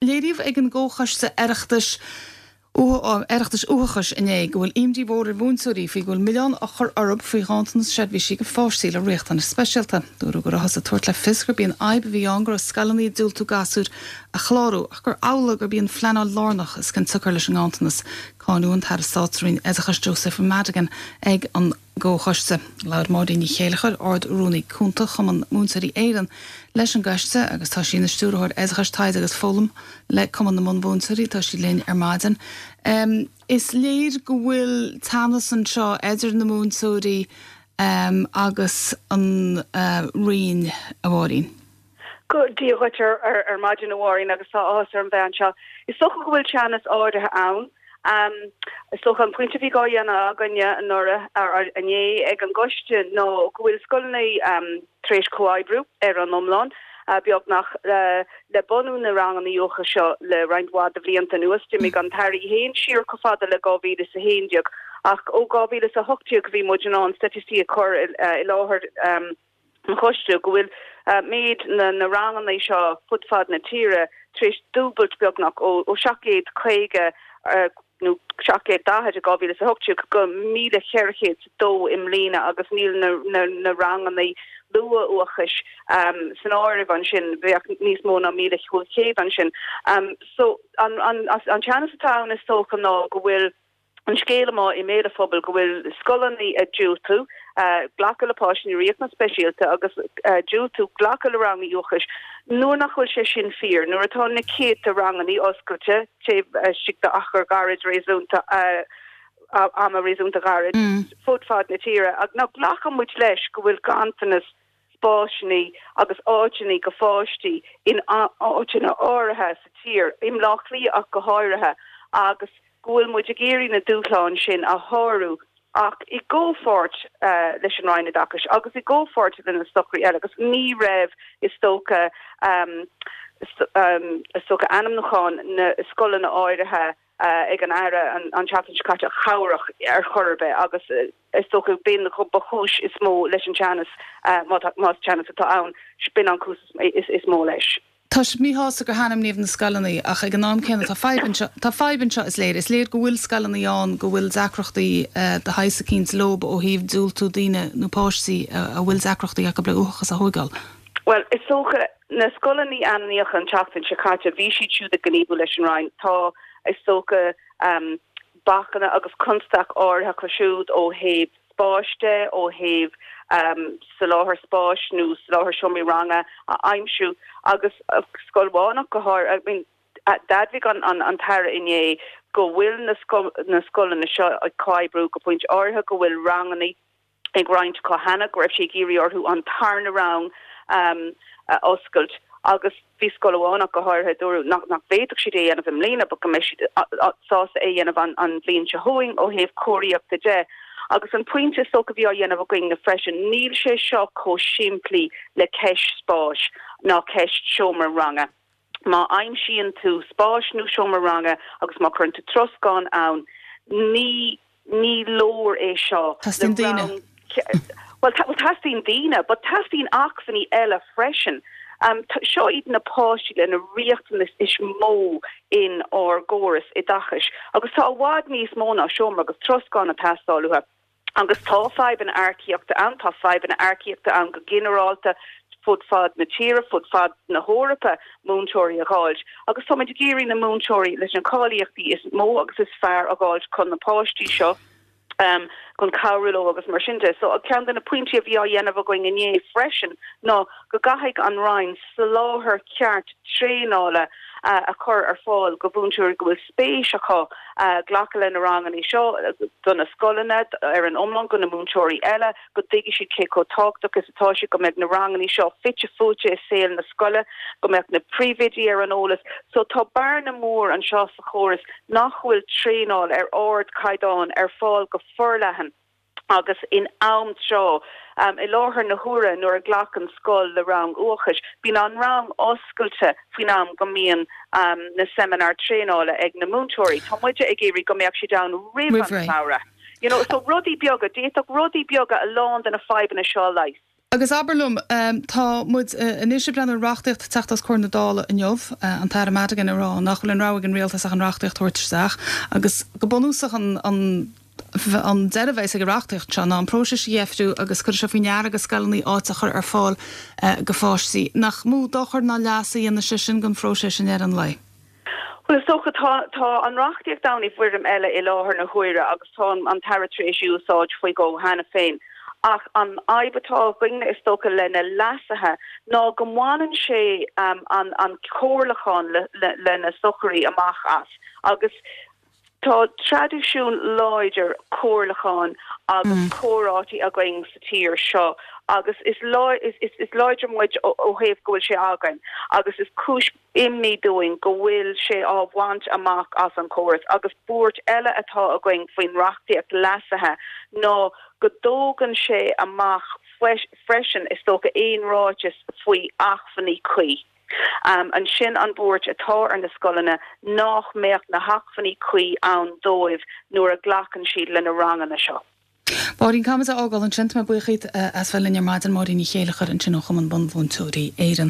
Léiríodh ag an gComhchoiste Oireachtais Oireachtais Uathachais inné go bhfuil imní mhór ar mhúinteoirí faoi go bhfuil milleán á chur orthu faoi ghanntanas seirbhísí do pháistí le riachtanais speisialta. Dúradh go rabhthas ag tabhairt le fios gurb í an fhadhb a bhí ann go raibh scoileanna ag diúltú gasúir a chlárú ach gur amhlaidh gurb í an phleanáil lárnach is cionsiocair leis an nganntanas. Cáineadh an tAire Stáit sa Roinn Oideachais Joseph Madigan ag an gComhchoiste. Labhair Máirín Ní Chéileachair, Ard-Rúnaí Cúnta Chumann Múinteoirí Éireann, leis an gcoiste agus tá sí ina Stiúrthóir Oideachais, Taighde agus Foghlama le Cumann na mBunmhúinteoirí. Tá sí linn ar maidin. Is léir go bhfuil teannas anseo idir na múinteoirí agus an Roinn, a Mháirín. Dia dhuit ar maidin, a Mháirín, agus tá áthas orm bheith anseo. Is dócha go bhfuil teannas áirithe ann. Is dócha an pointe a bhí dhá dhéanamh againne anuraidh, inné ag an gcoiste ná go bhfuil scoileanna tar éis comhoibriú ar an iomlán, beagnach, le bunú na ranganna uathachais seo le roinnt mhaith de bhlianta anuas. D'imigh an tAire í féin siar chomh fada le 2011 ach ó 2018 bhí muid in ann staitisticí a chur i láthair. an choiste go bhfuil méid na ranganna seo fud fad na tíre tar éis dúbailt beagnach, ó 750 nó 740 i 2018 go 1,402 i mbliana agus níl na ranganna luath-uathachais san áireamh ansin, bheadh níos mó ná 1,500 ansin. So an teannas atá ann is dócha ná go bhfuil an scéal amuigh i mbéal an phobail go bhfuil scoileanna ag diúltú glacadh le páistí le riachtanais speisialta agus diúltú glacadh le ranganna uathachais nuair nach bhfuil sé sin fíor, nuair atá na céadta ranganna oscailte taobh istigh d'achar gairid réasúnta ama réasúnta ghairid fud fad na tíre. Now glacann muid leis go bhfuil ganntanas spásanna agus áiteanna go pháistí in áiteanna áirithe sa tír, i mBleá Cliath ach go háirithe, agus go bhfuil muid ag iarraidh na dúshláin sin a shárú ach i gcomhpháirt leis an Roinn Oideachais agus i gcomhpháirt le na socruithe eile agus ní raibh is dócha is dócha ainmniúchán na scoileanna áirithe ag an Aire an tseachtain seo caite cabhrach ar chor ar bith agus is dócha b'in ba chúis is mó leis an teannas más teannas atá ann b'in an cúis is mó leis. Tá sibh míshásta gur hainmníodh na scoileanna ach ag an am céanna tá fadhb anseo, tá fadhb anseo is léir. Is léir go bhfuil scoileanna ann go bhfuil deacrachtaí de shaghas eicínt leob ó thaobh diúltú daoine nó páistí a bhfuil deacrachtaí acu le uathachas a thóigeáil. Bhuel, is dócha, na scoileanna a ainmníodh an tseachtain seo caite, bhí siad siúd ag gníomhú leis an Roinn. Tá, is dócha, bacanna agus constaic áirithe acu siúd ó thaobh spáis de, ó thaobh soláthar spáis nó soláthar seomraí ranga a aimsiú agus scoil amháin ach go háirithe. I mean, d'admhaigh an tAire inné go bhfuil na scoileanna seo ag comhoibriú go pointe áirithe, go bhfuil ranganna ag roinnt acu cheana, go raibh sé ag iarraidh orthu an tarna rang a oscailt agus bhí scoil amháin ach go háirithe, dúradh nach bhféadfadh siad é a dhéanamh i mbliana but go mbeidh siad sásta é a dhéanamh an bhliain seo chugainn ó thaobh cóiríochta de. Agus an pointe is dócha a bhí á dhéanamh againn freisin, níl sé seo chomh simplí le ceist spáis ná ceist seomra ranga. Má aimsíonn tú spás nó seomra ranga agus má chuireann tú troscán ann, ní ní leor é seo Teastaíonn daoine. Bhuel, teastaíonn daoine, but teastaíonn acmhainní eile freisin. Seo iad na páistí le na riachtanais is mó in ár gcóras oideachais agus tá i bhfad níos mó ná seomra agus troscán ag teastáil uathu. Agus tá fadhbanna earcaíochta ann, tá fadhbanna earcaíochta ann go ginearálta fud fad na tíre, fud fad na hEorpa, múinteoirí a dh'fháilt. Agus táimid ag iarraidh na múinteoirí leis na cáilíochtaí is mó agus is fearr a dh'fháilt chun na páistí seo, chun cabhrú leo agus mar sin de. So ceann de na pointí a bhí á dhéanamh againn inné freisin ná go gcaithfidh an Roinn soláthar ceart traenála a chur ar fáil go mhúinteoirí go bhfuil spéis acu glacadh le na ranganna seo, do na scoileanna ar an iomlán, go na múinteoirí eile, go dtuigfidh siad cé chomh tábhachtach is atá sé go mbeadh na ranganna seo fite fuaite i saol na scoile, go mbeadh na príomhoidí ar an eolas. So tá bearna mór anseo sa chóras nach bhfuil traenáil ar ardchaighdeán ar fáil go forleathan agus in am tráth. I láthair na huaire nuair a ghlacann scoil le rang uathachais, bíonn an rang oscailte faoin am go mbíonn na seimineáir traenála ag na múinteoirí. Tá muide ag iarraidh go mbeadh siad ann roimh an samhradh. You know, so rudaí beaga, d'fhéadfadh rudaí beaga a lán de na fadhbanna seo a leigheas. Agus abair liom, tá muid anois ag breathnú ar reachtaíocht ag teacht os comhair na Dála inniu, an tAire Madigan ag rá nach bhfuil aon rogha ag an rialtas ach an reachtaíocht a thabhairt isteach agus go bunúsach an an deireadh a bheas ag an reachtaíocht seo ná an próiseas a dheifriú agus cuirfidh sé faoi ndeara go scoileanna áit a chur ar fáil go pháistí. Nach mó dochar ná leas a dhéanfaidh sé sin don phróiseas i ndeireadh an lae? Bhuel, is dócha, tá, tá an reachtaíocht ann i bhfoirm eile i láthair na huaire agus tá an tAire tar éis í a úsáid faoi dhó cheana féin. Ach an fhadhb atá againne, is dócha, le na leasuithe ná go mbaineann sé an, an comhairliúchán le, le, le na stocairí amach as agus tá traidisiún láidir comhairliúcháin agus comhráití againn sa tír seo agus is, is, is láidre muid ó thaobh go bhfuil sé againn agus is cúis imní dúinn go bhfuil sé á bhaint amach as an chóras agus buairt eile atá againn faoin reachtaíocht leasaithe ná go dtógann sé amach freisin, is dócha, aon ráiteas faoi acmhainní cuí. Ansin an bhuairt atá ar na scoileanna nach mbeadh na hacmhainní cuí ann dóibh nuair a ghlacann siad le na ranganna seo. Máirín, caithfimid a fhágáil ansin. Tá mé buíoch díot as bheith linn ar maidin. Máirín Ní Chéileachair ansin ó Chumann Bunmhúinteoirí Éireann.